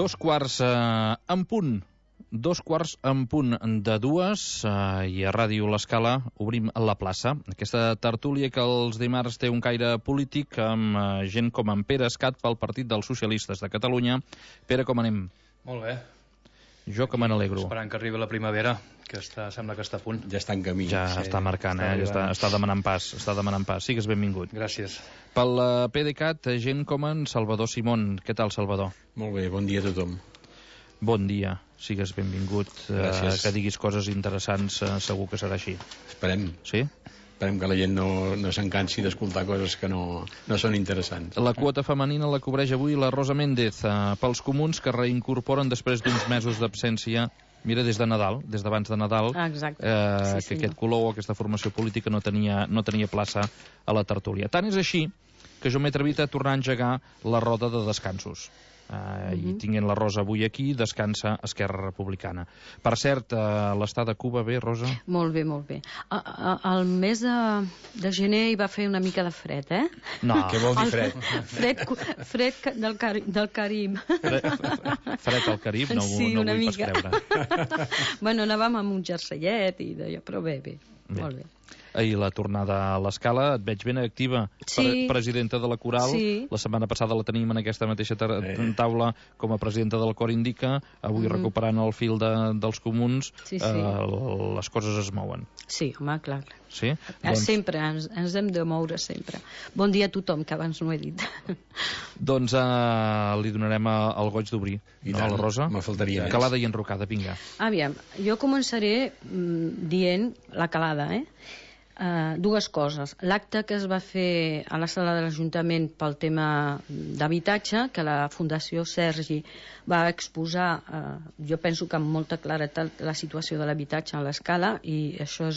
Dos quarts en punt. 2:45 i a Ràdio L'Escala obrim la plaça. Aquesta tertúlia que els dimarts té un caire polític amb gent com en Pere Escat pel Partit dels Socialistes de Catalunya. Pere, com anem? Molt bé. Jo que me n'alegro. Esperant que arribi la primavera, que sembla que està a punt. Ja està en camí. Ja està marcant, està demanant pas. Sigues benvingut. Gràcies. Pel PDeCAT, gent com en Salvador Simón. Què tal, Salvador? Molt bé, bon dia a tothom. Bon dia, sigues benvingut. Gràcies. Que diguis coses interessants, segur que serà així. Esperem. Sí? Esperem que la gent no s'encansi d'escoltar coses que no són interessants. La quota femenina la cobreix avui la Rosa Méndez, pels comuns que reincorporen després d'uns mesos d'absència. Mira, des de Nadal, des d'abans de Nadal, exacte. Que aquest color o aquesta formació política no tenia plaça a la tertúlia. Tant és així que jo m'he atrevit a tornar a engegar la roda de descansos. I tinguent la Rosa avui aquí, descansa Esquerra Republicana. Per cert, l'estat de Cuba bé, Rosa? Molt bé, molt bé. Al mes de gener hi va fer una mica de fred, eh? No. Què vol dir fred? Fred del Carib. Fred al Carib? No, sí, no una vull mica. pas creure. Bueno, anàvem amb un jerseillet i d'allò, però bé, molt bé. Ahir la tornada a l'Escala, et veig ben activa, sí. Presidenta de la Coral. Sí. La setmana passada la tenim en aquesta mateixa taula com a presidenta del Cor Indica, avui recuperant el fil dels comuns. Sí. Les coses es mouen. Sí, home, clar. Sí? Sempre, ens hem de moure sempre. Bon dia a tothom, que abans no ho he dit. Doncs li donarem el goig d'obrir, no, a la Rosa? Me faltaria més. Calada i enrocada, vinga. Aviam, jo començaré dient la calada, dues coses. L'acte que es va fer a la sala de l'Ajuntament pel tema d'habitatge, que la Fundació Sergi va exposar, jo penso que amb molta claretat, la situació de l'habitatge a l'Escala, i això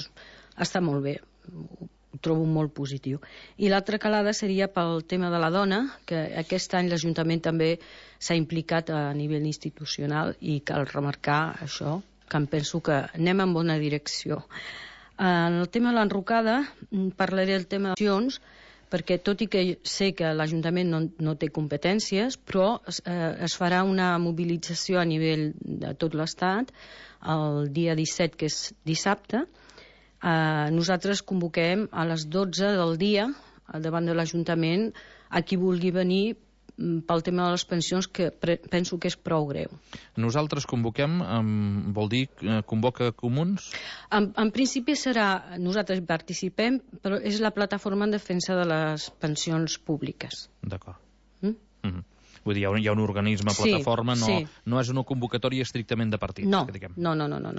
està molt bé, ho trobo molt positiu. I l'altra calada seria pel tema de la dona, que aquest any l'Ajuntament també s'ha implicat a nivell institucional i cal remarcar això, que em penso que anem en bona direcció. En el tema de l'enrocada parlaré del tema d'accions, perquè tot i que sé que l'Ajuntament no té competències, però es farà una mobilització a nivell de tot l'Estat el dia 17, que és dissabte. Nosaltres convoquem a les 12 del dia davant de l'Ajuntament a qui vulgui venir pel tema de les pensions, que penso que és prou greu. Nosaltres convoquem, vol dir convoca comuns? En principi serà, nosaltres participem, però és la plataforma en defensa de les pensions públiques. D'acord. Vull dir, hi ha un organisme, plataforma, no és una convocatòria estrictament de partit. No,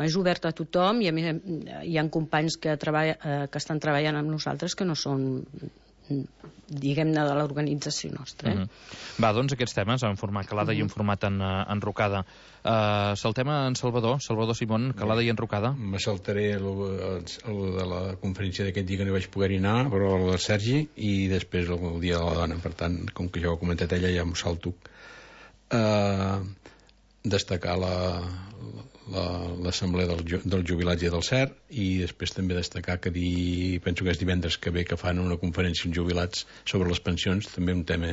és obert a tothom, i a més hi ha companys que estan treballant amb nosaltres que no són, diguem-ne, de l'organització nostra. Va, doncs aquests temes en format calada i en format enrocada. Saltem en Salvador Simón, calada i enrocada. Me saltaré el de la conferència d'aquest dia que no vaig poder-hi anar, però el de Sergi, i després el dia de la dona. Per tant, com que ja ho ha comentat ella, ja m'ho salto. Destacar l'assemblea dels jubilats i del CER, i després també destacar que penso que és divendres que ve que fan una conferència amb jubilats sobre les pensions, també un tema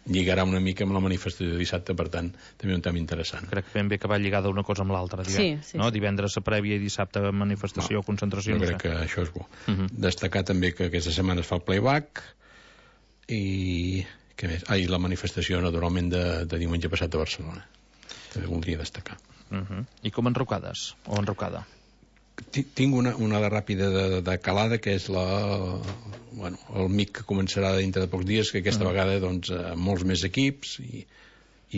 lligarà una mica amb la manifestació de dissabte, per tant també un tema interessant. Crec ben bé que va lligada una cosa amb l'altra, no? Divendres a prèvia i dissabte manifestació o concentració. Jo crec que això és bo. Destacar també que aquesta setmana es fa el playback, i què més? I la manifestació naturalment de diumenge passat a Barcelona també voldria destacar. I com enrocades o enrocada? Tinc una de ràpida de calada, que és el MIC, que començarà dintre de pocs dies, que aquesta vegada amb molts més equips, i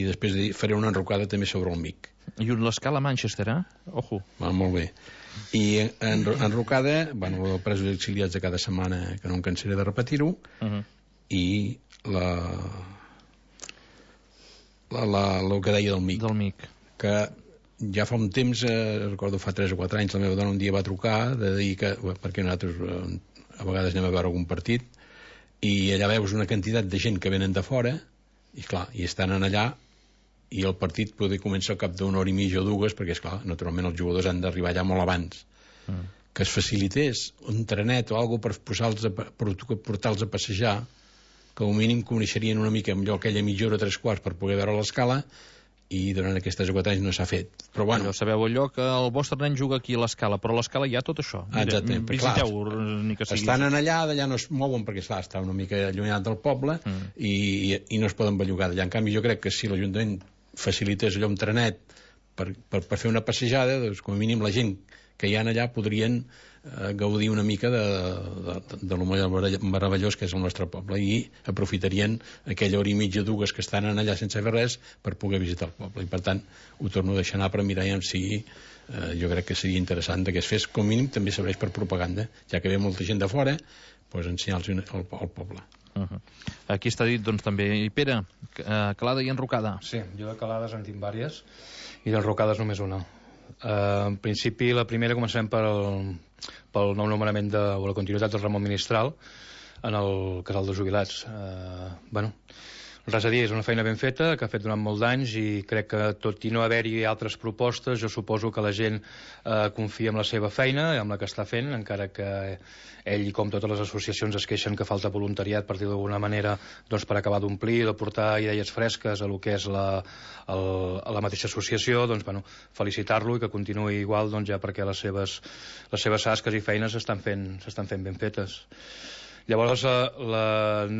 després faré una enrocada també sobre el MIC. I l'Escala Manchester, Ojo. Molt bé. I enrocada, el presos i exiliats de cada setmana, que no em cansaré de repetir-ho, i el que deia del MIC, que ja fa un temps, recordo fa 3 o 4 anys, la meva dona un dia va trucar de dir que, perquè nosaltres a vegades anem a veure algun partit, i allà veus una quantitat de gent que venen de fora, i clar, i estan allà, i el partit poder començar al cap d'una hora i mitja o dues, perquè esclar, naturalment els jugadors han d'arribar allà molt abans. Que es facilités un trenet o alguna cosa per portar-los a passejar, que al mínim coneixerien una mica millor aquella mitja hora, 3 quarts, per poder veure l'Escala, i durant aquests 3 o 4 anys no s'ha fet. Però bueno... Sabeu allò que el vostre nen juga aquí a l'Escala, però a l'Escala hi ha tot això. Exacte, visiteu, ni que sigui. Estan allà, d'allà no es mouen perquè està una mica allunyat del poble i no es poden bellugar d'allà. En canvi, jo crec que si l'Ajuntament facilités allò amb trenet per fer una passejada, doncs com a mínim la gent que hi ha allà podrien gaudir una mica de lo meravellós que és el nostre poble i aprofitarien aquella hora i mitja, 2 que estan allà sense fer res per poder visitar el poble. I per tant ho torno a deixar anar per mirar si jo crec que seria interessant que es fes, com mínim també serveix per propaganda, ja que ve molta gent de fora, doncs ensenyar-los el poble. Aquí està dit doncs també, i Pere, Calada i Enrocada. Sí, jo de Calades en tinc vàries i d'Enrocades només una. En principi, la primera començarem pel nou nomenament o la continuïtat del Ramon Ministral en el casal de jubilats. Res a dir, és una feina ben feta que ha fet durant molts d'anys i crec que tot i no haver-hi altres propostes, jo suposo que la gent confia en la seva feina, amb la que està fent, encara que ell, com totes les associacions, es queixen que falta voluntariat, per dir d'alguna manera, doncs, per acabar d'omplir, de portar idees fresques a lo que és la mateixa associació, doncs, bueno, felicitar-lo i que continuï igual, doncs, ja perquè les seves tasques i feines s'estan fent ben fetes. Llavors, els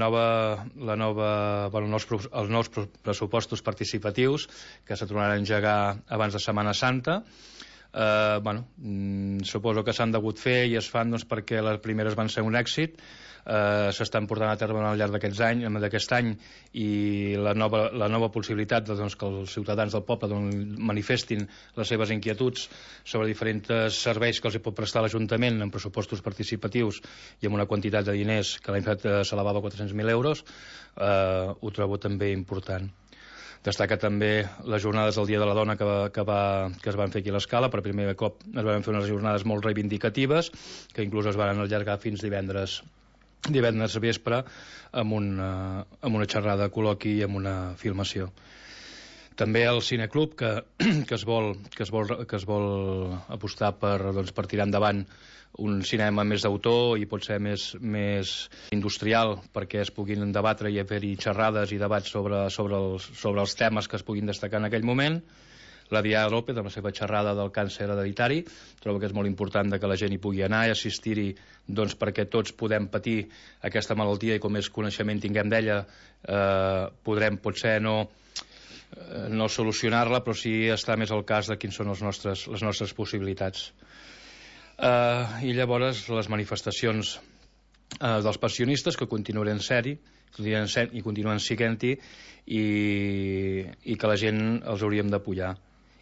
nous pressupostos participatius que se tornaran a engegar abans de Setmana Santa, suposo que s'han degut fer i es fan doncs, perquè les primeres van ser un èxit, s'estan portant a terme al llarg d'aquest any i la nova possibilitat doncs, que els ciutadans del poble manifestin les seves inquietuds sobre diferents serveis que els pot prestar l'Ajuntament en pressupostos participatius i amb una quantitat de diners que l'any passat s'elevava a 400.000 euros, ho trobo també important. Destaca també les jornades del Dia de la Dona que es van fer aquí a l'Escala. Per primer cop es van fer unes jornades molt reivindicatives que inclús es van allargar fins divendres vespre amb una xerrada, col·loqui i amb una filmació. També el Cineclub que es vol apostar per tirar endavant un cinema més d'autor i pot ser més industrial perquè es puguin debatre i fer-hi xerrades i debats sobre els temes que es puguin destacar en aquell moment. La Diana López, amb la seva xerrada del càncer hereditari, trobo que és molt important que la gent hi pugui anar i assistir-hi doncs, perquè tots podem patir aquesta malaltia i com més coneixement tinguem d'ella podrem potser no solucionar-la, però sí estar més al cas de quins són les nostres possibilitats. I llavors les manifestacions dels pensionistes que continuaran ser-hi i continuen sent-hi i que la gent els hauríem d'apoyar.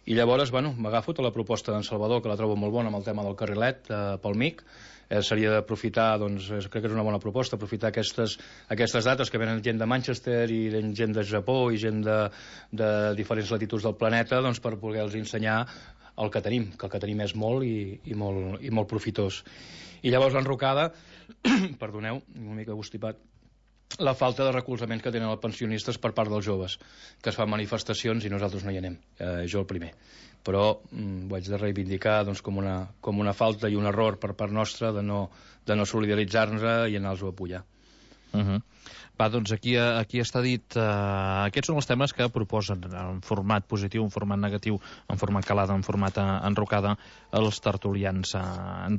I llavors, m'agafo tota la proposta d'en Salvador, que la trobo molt bona amb el tema del carrilet pel MIC. Seria d'aprofitar, doncs, crec que és una bona proposta, aprofitar aquestes dates que venen gent de Manchester i gent de Japó i gent de diferents latituds del planeta, doncs, per poder-los ensenyar el que tenim, que el que tenim és molt i molt profitós. I llavors l'enrocada, perdoneu, una mica constipat, la falta de recolzament que tenen els pensionistes per part dels joves, que es fan manifestacions i nosaltres no hi anem, jo el primer. Però ho haig de reivindicar doncs, com una falta i un error per part nostra de no solidaritzar-nos i anar-los a apoyar. Va, doncs aquí està dit. Aquests són els temes que proposen en format positiu, en format negatiu, en format calada, en format enrocada, els tertulians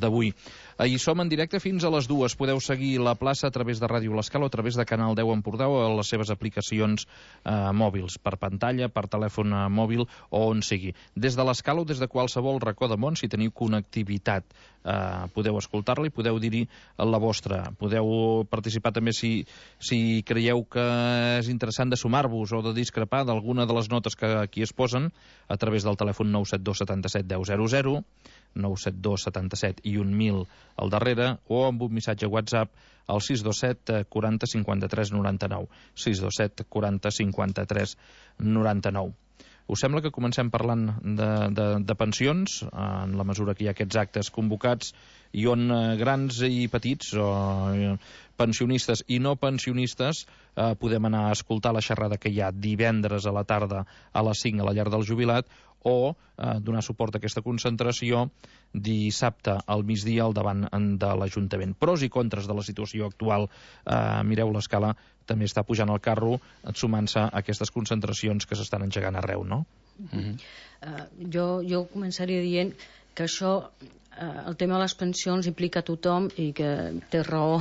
d'avui. Hi som en directe fins a les 2. Podeu seguir la plaça a través de Ràdio L'Escala o a través de Canal 10 Empordà o a les seves aplicacions mòbils, per pantalla, per telèfon mòbil o on sigui. Des de l'Escala o des de qualsevol racó de món, si teniu connectivitat, podeu escoltar-la i podeu dir-hi la vostra. Podeu participar també si creieu que és interessant de sumar-vos o de discrepar d'alguna de les notes que aquí es posen a través del telèfon 972 77 10 00, 972 77 i 1000 al darrere, o amb un missatge WhatsApp al 627 40 53 99, 627 40 53 99. Us sembla que comencem parlant de pensions, en la mesura que hi ha aquests actes convocats, i on grans i petits, pensionistes i no pensionistes, podem anar a escoltar la xerrada que hi ha divendres a la tarda a les 5 a la llar del jubilat, o donar suport a aquesta concentració dissabte al migdia al davant de l'Ajuntament. Pros i contres de la situació actual. Mireu, l'Escala també està pujant al carro sumant-se a aquestes concentracions que s'estan engegant arreu, no? Jo començaria dient que això, el tema de les pensions implica tothom i que té raó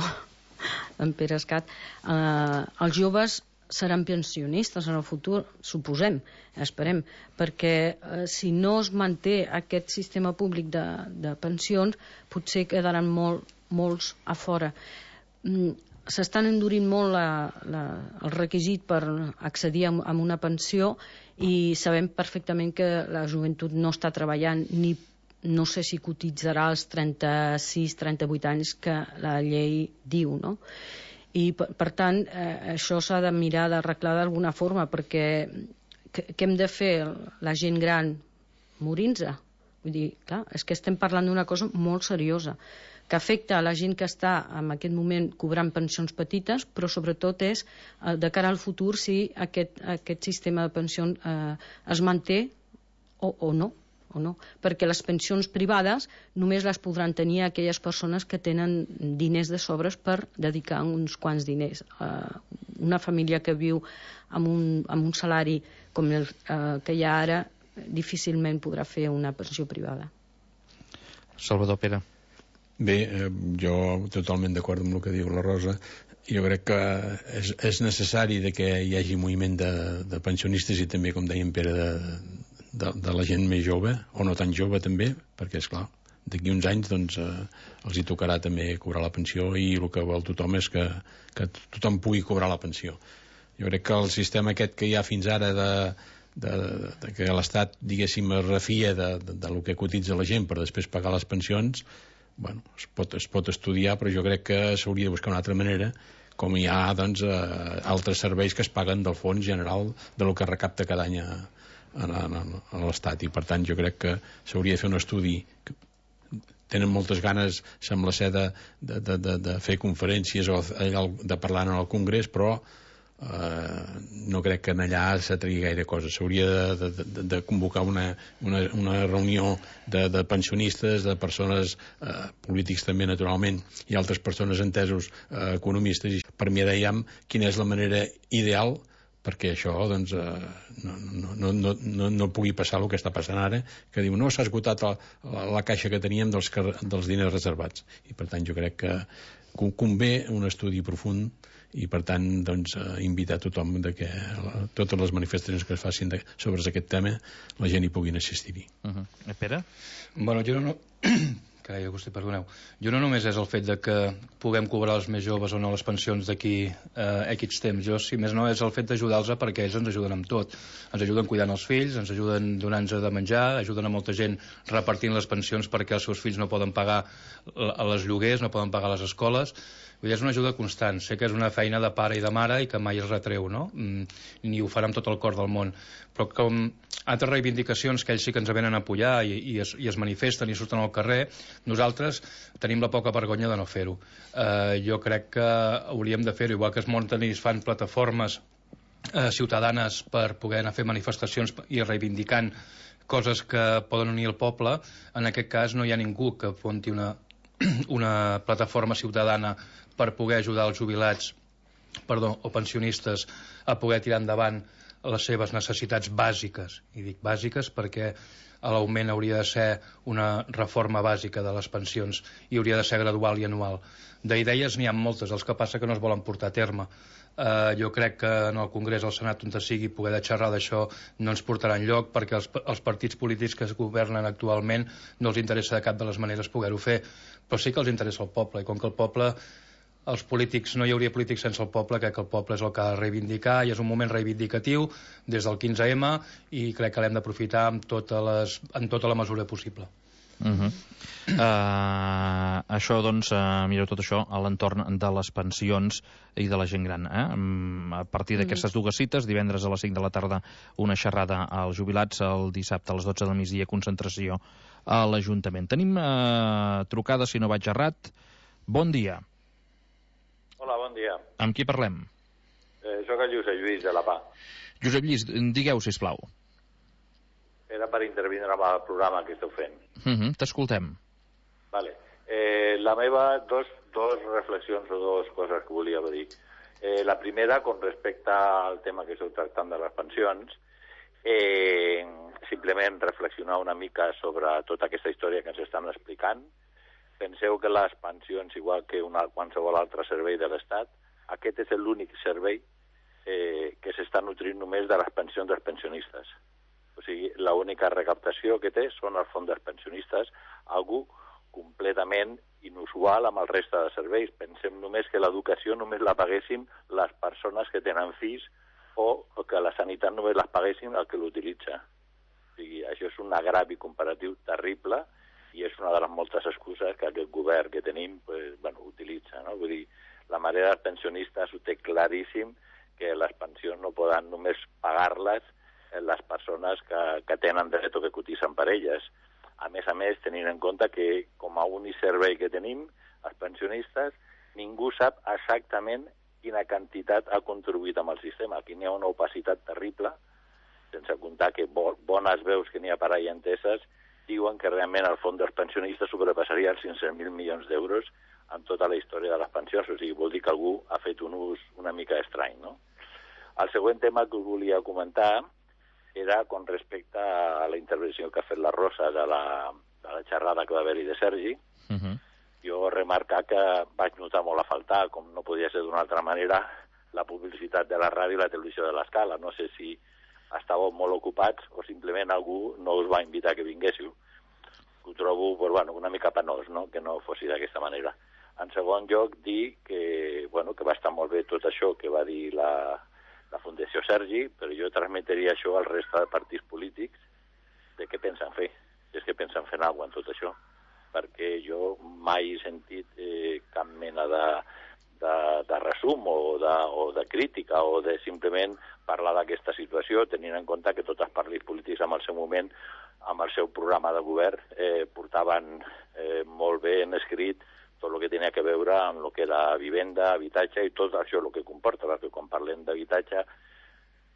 en Pere Escat. Els joves seran pensionistes en el futur, suposem, esperem, perquè si no es manté aquest sistema públic de pensions, potser quedaran molts a fora. S'estan endurint molt el requisit per accedir a una pensió i sabem perfectament que la joventut no està treballant ni no sé si cotitzarà als 36-38 anys que la llei diu, no? I per tant això s'ha de mirar d'arreglar d'alguna forma, perquè què hem de fer la gent gran? Morir-nos? Vull dir, clar, és que estem parlant d'una cosa molt seriosa que afecta a la gent que està en aquest moment cobrant pensions petites, però sobretot és de cara al futur si aquest sistema de pensions es manté o no, perquè les pensions privades només les podran tenir aquelles persones que tenen diners de sobres per dedicar uns quants diners. Una família que viu amb un salari com el que hi ha ara difícilment podrà fer una pensió privada. Salvador Pere. Bé, jo totalment d'acord amb el que diu la Rosa. Jo crec que és necessari que hi hagi moviment de pensionistes i també, com deia en Pere, de la gent més jove, o no tan jove també, perquè és clar, d'aquí uns anys doncs, els hi tocarà també cobrar la pensió i el que vol tothom és que tothom pugui cobrar la pensió. Jo crec que el sistema aquest que hi ha fins ara de que l'Estat, diguéssim, es refia del que cotitza la gent per després pagar les pensions, bueno, es pot estudiar, però jo crec que s'hauria de buscar una altra manera, com hi ha doncs, altres serveis que es paguen del fons general de lo que recapta cada any a l'Estat, i per tant jo crec que s'hauria de fer un estudi. Tenen moltes ganes, sembla ser, de fer conferències o de parlar en el Congrés, però no crec que allà se tregui gaire cosa. S'hauria de convocar una reunió de pensionistes, de persones polítics també, naturalment, i altres persones entesos economistes, i per mi dèiem quina és la manera ideal perquè això doncs, no pugui passar el que està passant ara, que diu no, s'ha esgotat la caixa que teníem dels diners reservats, i per tant jo crec que convé un estudi profund i per tant doncs, invitar tothom que totes les manifestacions que es facin sobre aquest tema la gent hi puguin assistir-hi. Pere? Bueno, jo no... Carai, Agustí, perdoneu. Jo no només és el fet de que puguem cobrar els més joves o no les pensions d'aquí X temps. Jo, si més no, és el fet d'ajudar-los perquè ells ens ajuden amb tot. Ens ajuden cuidant els fills, ens ajuden donant-nos de menjar, ajuden a molta gent repartint les pensions perquè els seus fills no poden pagar les lloguers, no poden pagar les escoles. Vull dir, és una ajuda constant. Sé que és una feina de pare i de mare i que mai es retreu, no? Ni ho farà amb tot el cor del món. Però com altres reivindicacions que ells sí que ens venen a apoyar i es manifesten i surten al carrer, nosaltres tenim la poca vergonya de no fer-ho. Jo crec que hauríem de fer-ho, igual que es munten i es fan plataformes ciutadanes per poder anar a fer manifestacions i reivindicant coses que poden unir el poble. En aquest cas no hi ha ningú que munti una plataforma ciutadana per poder ajudar els jubilats o pensionistes a poder tirar endavant les seves necessitats bàsiques. I dic bàsiques perquè l'augment hauria de ser una reforma bàsica de les pensions i hauria de ser gradual i anual. D'idees n'hi ha moltes, els que passa que no es volen portar a terme. Jo crec que en el Congrés, al Senat, on sigui, poder de xerrar d'això no ens portarà enlloc perquè els partits polítics que es governen actualment no els interessa de cap de les maneres poder-ho fer, però sí que els interessa el poble, i com que el poble, els polítics, no hi hauria polítics sense el poble, crec que el poble és el que ha de reivindicar i és un moment reivindicatiu des del 15M i crec que l'hem d'aprofitar en tota la mesura possible. Això, doncs, mireu tot això a l'entorn de les pensions i de la gent gran. A partir d'aquestes dues cites, divendres a les 5 de la tarda una xerrada als jubilats, el dissabte a les 12 del migdia concentració a l'Ajuntament. Tenim trucada, si no vaig errat. Bon dia. Hola, bon dia. Amb qui parlem? Soc el Josep Lluís, de la PA. Josep Lluís, digueu, sisplau. Era per intervindre amb el programa que esteu fent. T'escoltem. Vale. La meva, dos reflexions o dues coses que volia dir. La primera, con respecte al tema que esteu tractant de les pensions, simplement reflexionar una mica sobre tota aquesta història que ens estan explicant. Penseu que les pensions, igual que qualsevol altre servei de l'Estat, aquest és l'únic servei que s'està nutrint només de les pensions dels pensionistes. O sigui, l'única recaptació que té són els fons dels pensionistes, algú completament inusual amb el reste de serveis. Pensem només que l'educació només la paguéssim les persones que tenen fills o que la sanitat només les paguéssim el que l'utilitza. O sigui, això és un agravi comparatiu terrible i és una de les moltes excuses que aquest govern que tenim utilitza. No? Vull dir, la majoria dels pensionistes ho té claríssim que les pensions no poden només pagar-les les persones que tenen dret o que cotitzen per elles. A més, tenint en compte que com a únic servei que tenim, els pensionistes, ningú sap exactament quina quantitat ha contribuït amb el sistema. Aquí n'hi ha una opacitat terrible, sense comptar que bones veus que n'hi ha per ahí enteses diuen que realment el fons dels pensionistes sobrepassaria els 500.000 milions d'euros en tota la història de les pensions. O sigui, vol dir que algú ha fet un ús una mica estrany, no? El següent tema que us volia comentar era con respecte a la intervenció que ha fet la Rosa de la xerrada que va haver-hi de Sergi. Jo remarcar que vaig notar molt a faltar, com no podia ser d'una altra manera, la publicitat de la ràdio i la televisió de l'Escala. No sé si estàveu molt ocupats o simplement algú no us va invitar que vinguéssiu. Ho trobo una mica penós, no?, que no fossi d'aquesta manera. En segon lloc, dir que va estar molt bé tot això que va dir la Fundació Sergi, però jo transmetria això al reste de partits polítics de què pensen fer, si és que pensen fer alguna cosa en tot això, perquè jo mai he sentit cap mena de resum o de crítica o de simplement parlar d'aquesta situació, tenint en compte que tots els partits polítics en el seu moment, amb el seu programa de govern, portaven molt bé en escrit tot el que tenia que veure amb el que era vivenda, habitatge i tot això el que comporta, perquè quan parlem d'habitatge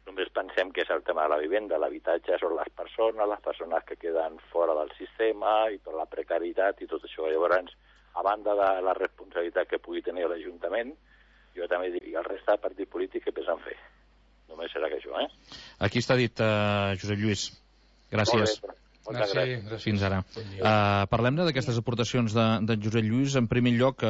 només pensem que és el tema de la vivenda. L'habitatge són les persones que queden fora del sistema i per la precarietat i tot això. Llavors, a banda de la responsabilitat que pugui tenir l'Ajuntament, jo també diria al resta de partits polítics que pensen fer. Només serà que això, Aquí està dit, Josep Lluís. Gràcies. Gràcies. Fins ara. Parlem d'aquestes aportacions de Josep Lluís. En primer lloc,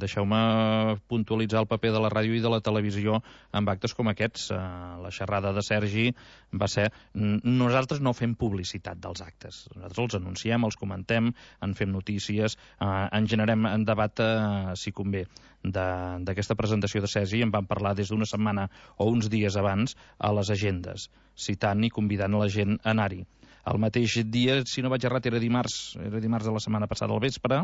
deixeu-me puntualitzar el paper de la ràdio i de la televisió en actes com aquests. La xerrada de Sergi va ser... Nosaltres no fem publicitat dels actes. Nosaltres els anunciem, els comentem, en fem notícies, en generem en debat, si convé, d'aquesta presentació de Sergi. En vam parlar des d'una setmana o uns dies abans a les agendes, citant i convidant la gent a anar-hi. El mateix dia, si no vaig errat, era dimarts de la setmana passada al vespre,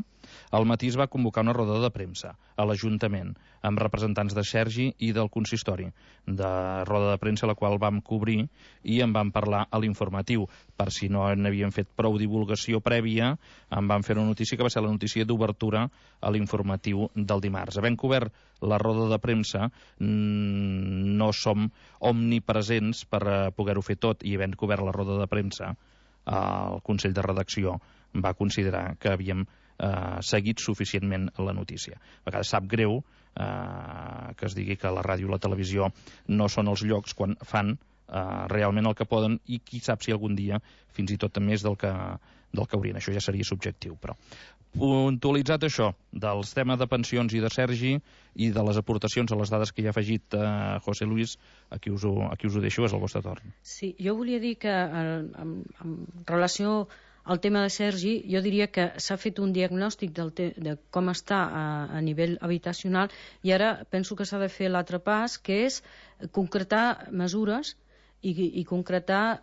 al matí es va convocar una roda de premsa a l'Ajuntament, amb representants de Sergi i del consistori, de roda de premsa la qual vam cobrir i en vam parlar a l'informatiu. Per si no n'havien fet prou divulgació prèvia, en vam fer una notícia que va ser la notícia d'obertura a l'informatiu del dimarts. Havent cobert la roda de premsa, no som omnipresents per poder-ho fer tot, i havent cobert la roda de premsa, el Consell de Redacció va considerar que havíem seguit suficientment la notícia. A vegades sap greu que es digui que la ràdio i la televisió no són els llocs quan fan realment el que poden, i qui sap si algun dia fins i tot més del que haurien. Això ja seria subjectiu, però puntualitzat això dels temes de pensions i de Sergi i de les aportacions a les dades que hi ha afegit José Luis, aquí us ho deixo, és el vostre torn. Sí, jo volia dir que en relació al tema de Sergi, jo diria que s'ha fet un diagnòstic de com està a nivell habitacional, i ara penso que s'ha de fer l'altre pas, que és concretar mesures i concretar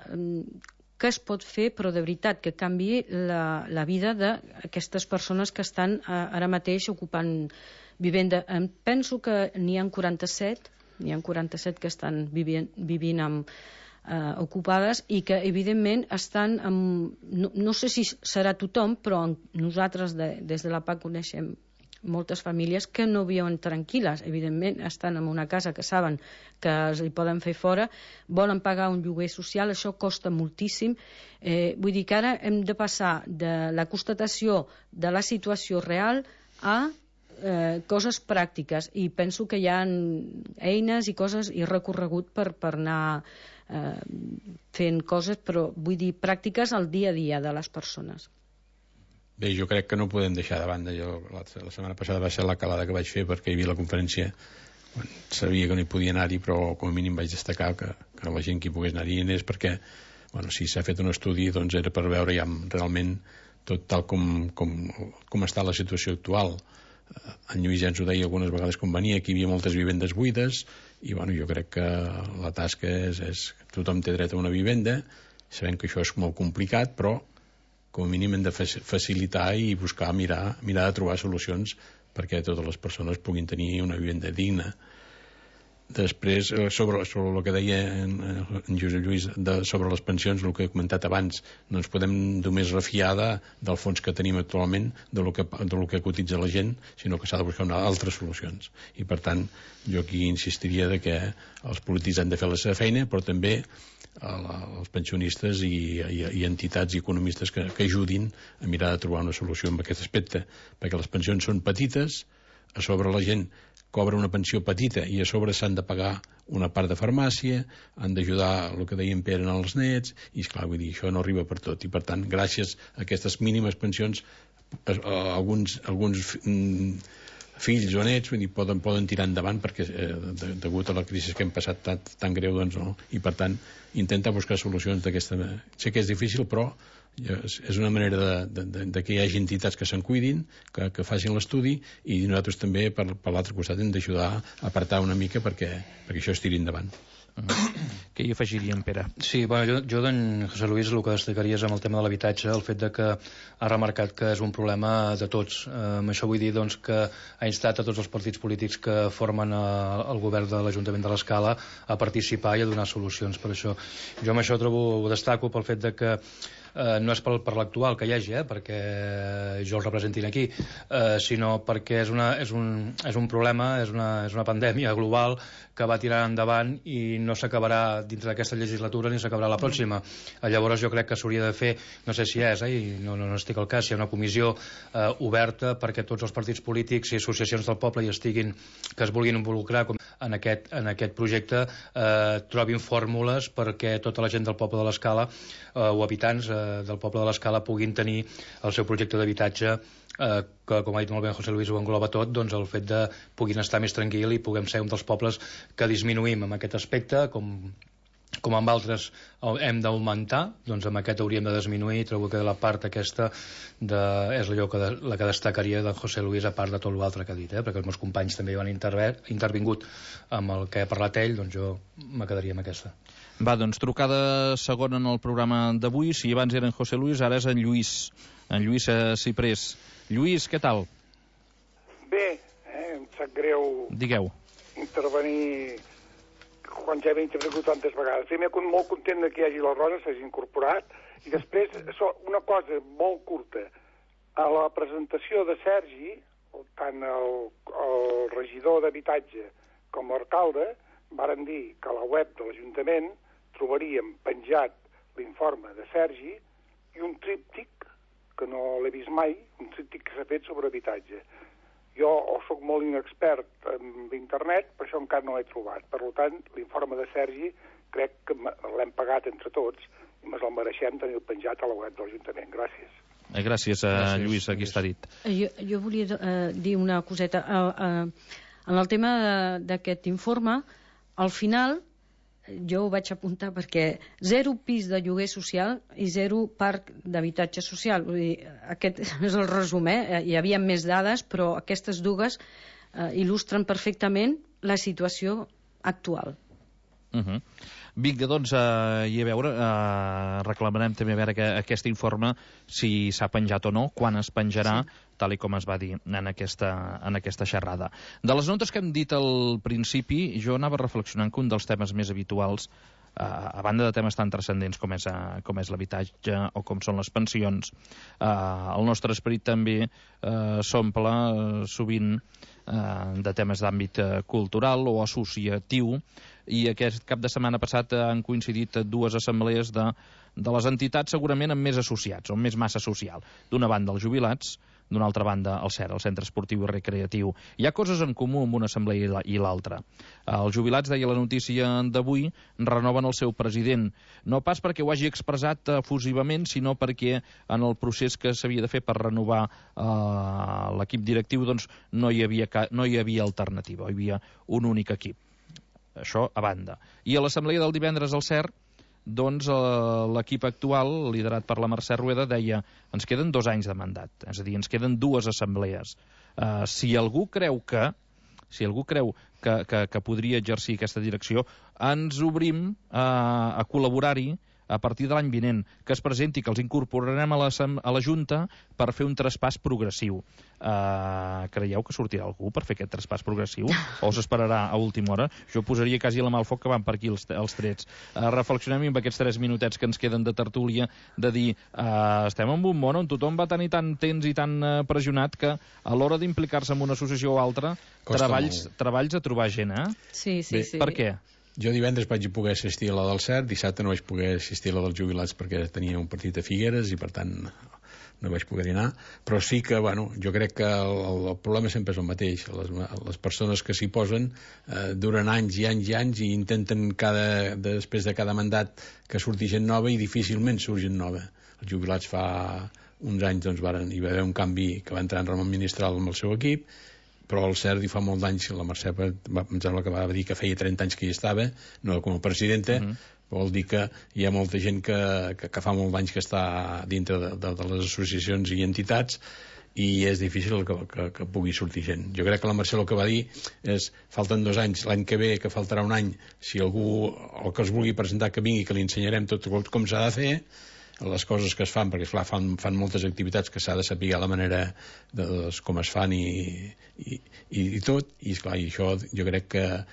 què es pot fer, però de veritat, que canviï la vida d'aquestes persones que estan ara mateix ocupant vivenda. Penso que n'hi ha 47 que estan vivint ocupades i que, evidentment, estan no sé si serà tothom, però nosaltres des de la PAC coneixem moltes famílies que no viuen tranquil·les. Evidentment, estan en una casa que saben que els hi poden fer fora, volen pagar un lloguer social, això costa moltíssim. Vull dir que ara hem de passar de la constatació de la situació real a coses pràctiques, i penso que hi ha eines i coses i recorregut per anar fent coses, però vull dir pràctiques al dia a dia de les persones. Bé, jo crec que no podem deixar de banda. Jo, la setmana passada va ser la calada que vaig fer perquè hi havia la conferència. Sabia que no hi podia anar-hi, però com a mínim vaig destacar que la gent que hi pogués anar-hi anés, perquè si s'ha fet un estudi doncs era per veure ja realment tot tal com està la situació actual. En Lluís ja ens ho deia algunes vegades quan venia, que hi havia moltes vivendes buides, i jo crec que la tasca és tothom té dret a una vivenda. Sabem que això és molt complicat, però com a mínim hem de facilitar i buscar, mirar de trobar solucions perquè totes les persones puguin tenir una vivenda digna. Després, sobre el que deia en Josep Lluís sobre les pensions, el que he comentat abans, no ens podem només refiar del fons que tenim actualment, del que cotitza la gent, sinó que s'ha de buscar altres solucions. I per tant, jo aquí insistiria que els polítics han de fer la seva feina, però també els pensionistes i entitats i economistes que ajudin a mirar de trobar una solució en aquest aspecte, perquè les pensions són petites, a sobre la gent cobra una pensió petita i a sobre s'han de pagar una part de farmàcia, han d'ajudar el que deien Pere als nets, i esclar, vull dir, això no arriba per tot, i per tant, gràcies a aquestes mínimes pensions, alguns fills o nets poden tirar endavant perquè degut a la crisi que hem passat tan greu, doncs no, i per tant intentar buscar solucions d'aquesta manera. Sé que és difícil, però és una manera de que hi hagi entitats que se'n cuidin, que facin l'estudi, i nosaltres també per l'altre costat hem d'ajudar a apartar una mica perquè això es tiri endavant. Què hi afegiríem, Pere? Sí, jo d'en José Luis el que destacaria és amb el tema de l'habitatge, el fet de que ha remarcat que és un problema de tots. Amb això vull dir doncs, que ha instat a tots els partits polítics que formen el govern de l'Ajuntament de l'Escala a participar i a donar solucions per això. Jo amb això ho destaco pel fet de que no és per l'actual que hi hagi, perquè jo el representin aquí, sinó perquè és un problema, és una pandèmia global que va tirar endavant i no s'acabarà dintre d'aquesta legislatura ni s'acabarà la pròxima. Llavors jo crec que s'hauria de fer, no sé si és, i no estic al cas, si hi ha una comissió oberta perquè tots els partits polítics i associacions del poble que es vulguin involucrar en aquest projecte trobin fórmules perquè tota la gent del poble de l'Escala o habitants del poble de l'Escala puguin tenir el seu projecte d'habitatge que, com ha dit molt bé José Luis, ho engloba tot, doncs el fet de puguin estar més tranquil i puguem ser un dels pobles que disminuïm en aquest aspecte, com amb altres hem d'augmentar, doncs amb aquest hauríem de disminuir, i trobo que la part aquesta és la que destacaria de José Luis, a part de tot l'altre que ha dit, perquè els meus companys també han intervingut amb el que ha parlat ell, doncs jo me quedaria amb aquesta. Va, doncs trucada segona en el programa d'avui. Si abans era en José Luis, ara és en Lluís Ciprés. Lluís, què tal? Bé, em sap greu intervenir quan ja he intervingut tantes vegades. Primer, molt content que hi hagi la Rosa, s'hagi incorporat, i després, una cosa molt curta. A la presentació de Sergi, tant el regidor d'habitatge com l'alcalde varen dir que a la web de l'Ajuntament trobaríem penjat l'informe de Sergi i un tríptic, que no l'he vist mai, un tríptic que s'ha fet sobre habitatge. Jo soc molt inexpert en internet, per això encara no l'he trobat. Per tant, l'informe de Sergi crec que l'hem pagat entre tots i ens el mereixem tenir penjat a la web de l'Ajuntament. Gràcies. Gràcies, Lluís, aquí està dit. Jo volia dir una coseta. En el tema d'aquest informe, al final, jo ho vaig apuntar perquè 0 pis de lloguer social i 0 parc d'habitatge social. Vull dir, aquest és el resum, Hi havia més dades, però aquestes dues il·lustren perfectament la situació actual. Vinga, doncs, i a veure, reclamarem també a veure aquest informe, si s'ha penjat o no, quan es penjarà, tal com es va dir en aquesta xerrada. De les notes que hem dit al principi, jo anava reflexionant que un dels temes més habituals, a banda de temes tan transcendents com és l'habitatge o com són les pensions, el nostre esperit també s'omple sovint de temes d'àmbit cultural o associatiu, i aquest cap de setmana passat han coincidit 2 assemblees de les entitats segurament amb més associats, o amb més massa social. D'una banda els jubilats, d'una altra banda, el CER, el Centre Esportiu i Recreatiu. Hi ha coses en comú amb una assemblea i l'altra. Els jubilats, deia la notícia d'avui, renoven el seu president, no pas perquè ho hagi expressat efusivament, sinó perquè en el procés que s'havia de fer per renovar l'equip directiu doncs no hi havia alternativa, hi havia un únic equip. Això a banda. I a l'assemblea del divendres al CER, doncs l'equip actual, liderat per la Mercè Rueda, deia ens queden 2 anys de mandat, és a dir, ens queden 2 assemblees. Si algú creu que podria exercir aquesta direcció, ens obrim a col·laborar-hi a partir de l'any vinent, que es presenti, que els incorporarem a la Junta per fer un traspàs progressiu. Creieu que sortirà algú per fer aquest traspàs progressiu? O s'esperarà a última hora? Jo posaria quasi la mà al foc que van per aquí els trets. Reflexionem amb aquests 3 minutets que ens queden de tertúlia, de dir, estem en un món on tothom va tenir tan tens i tan pressionat que a l'hora d'implicar-se en una associació o altra, treballs a trobar gent, eh? Sí. Per què? Jo divendres vaig poder assistir a la del CER, dissabte no vaig poder assistir a la dels jubilats perquè tenia un partit a Figueres i per tant no vaig poder anar, però sí que, jo crec que el problema sempre és el mateix. Les persones que s'hi posen duren anys i anys i anys i intenten després de cada mandat que surti gent nova i difícilment surt gent nova. Els jubilats fa uns anys hi va haver un canvi que va entrar en Ramon Ministral amb el seu equip, però el CERT hi fa molt d'anys, la Mercè em sembla que va dir que feia 30 anys que hi estava, no com a presidenta, vol dir que hi ha molta gent que fa molt d'anys que està dintre de les associacions i entitats i és difícil que pugui sortir gent. Jo crec que la Mercè el que va dir és falten 2 anys, l'any que ve, que faltarà un any, si algú el que es vulgui presentar que vingui, que li ensenyarem tot com s'ha de fer, les coses que es fan, perquè esclar, fan moltes activitats que s'ha de saber la manera com es fan i tot, i esclar, i això jo crec que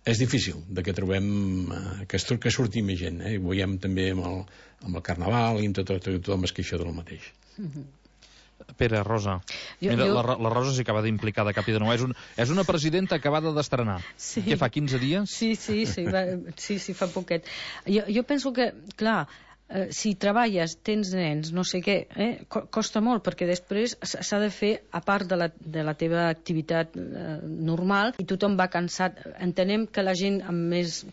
és difícil de que trobem que surti més gent, ho veiem també amb el Carnaval i amb tothom es queixa del mateix. Pere, Rosa. Mira, la Rosa s'hi acaba d'implicar de cap i de nou. És una presidenta acabada d'estrenar. Sí. Què fa, 15 dies? Sí, fa poquet. Jo penso que, clar, si treballes, tens nens, no sé què, costa molt, perquè després s'ha de fer, a part de la teva activitat normal, i tothom va cansat. Entenem que la gent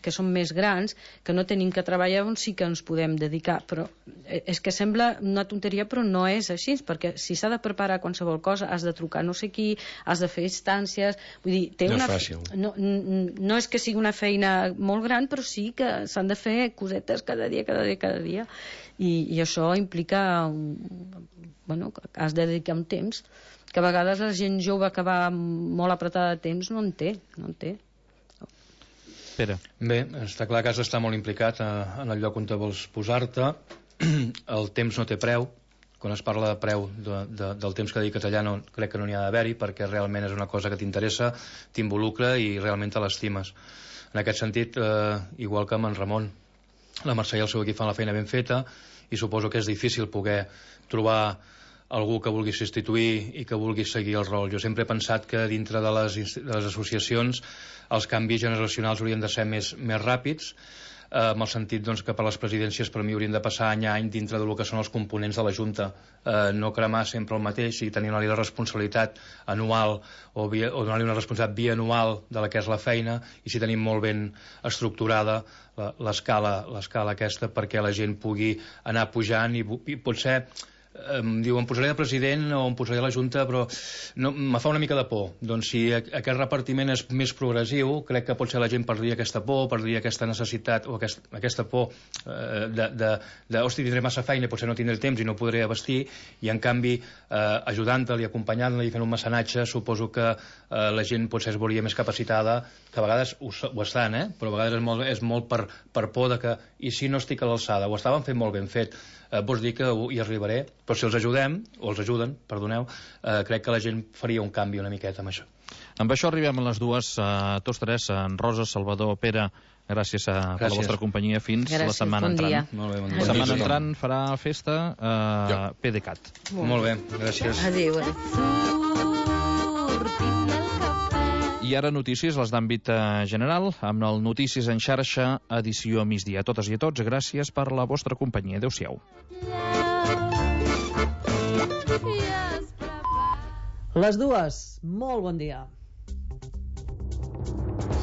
que són més grans, que no tenim que treballar, on sí que ens podem dedicar, però és que sembla una tonteria, però no és així, perquè si s'ha de preparar qualsevol cosa, has de trucar no sé qui, has de fer instàncies, vull dir, no és fàcil. No és que sigui una feina molt gran, però sí que s'han de fer cosetes cada dia. I això implica que has de dedicar un temps que a vegades la gent jove que va molt apretada de temps no en té. Pere. Bé, està clar que has d'estar molt implicat en el lloc on te vols posar-te. El temps no té preu. Quan es parla de preu del temps que dediques allà crec que no n'hi ha d'haver-hi, perquè realment és una cosa que t'interessa, t'involucra i realment te l'estimes. En aquest sentit, igual que amb en Ramon, la Mercè i el seu equip fan la feina ben feta i suposo que és difícil poder trobar algú que vulgui substituir i que vulgui seguir el rol. Jo sempre he pensat que dintre de les associacions els canvis generacionals haurien de ser més ràpids, amb el sentit que per les presidències per mi haurien de passar any a any dintre del que són els components de la Junta, no cremar sempre el mateix i tenir-li la responsabilitat anual o donar-li una responsabilitat bianual de la que és la feina, i si tenim molt ben estructurada l'escala aquesta perquè la gent pugui anar pujant i potser diu, em posaré de president o em posaré a la Junta, però me fa una mica de por. Doncs si aquest repartiment és més progressiu, crec que potser la gent perdria aquesta por, perdria aquesta necessitat o aquesta por tindré massa feina, potser no tindré temps i no podré abastir, i en canvi ajudant-la i acompanyant-la i fent un mecenatge, suposo que la gent potser es veuria més capacitada, que a vegades ho estan, però a vegades és molt per por de que, i si no estic a l'alçada, ho estaven fent molt ben fet, vols dir que hi arribaré, però si els ajuden, crec que la gent faria un canvi una miqueta amb això. Amb això arribem a les dues, tots tres, en Rosa, Salvador, Pere, gràcies per la vostra companyia fins la setmana entrant. Molt bé, bon dia. La setmana entrant farà festa PDeCAT. Molt bé, gràcies. Adéu. I ara notícies, les d'àmbit general, amb el Notícies en xarxa, edició a migdia. A totes i a tots, gràcies per la vostra companyia. Adéu-siau. Les dues, molt bon dia.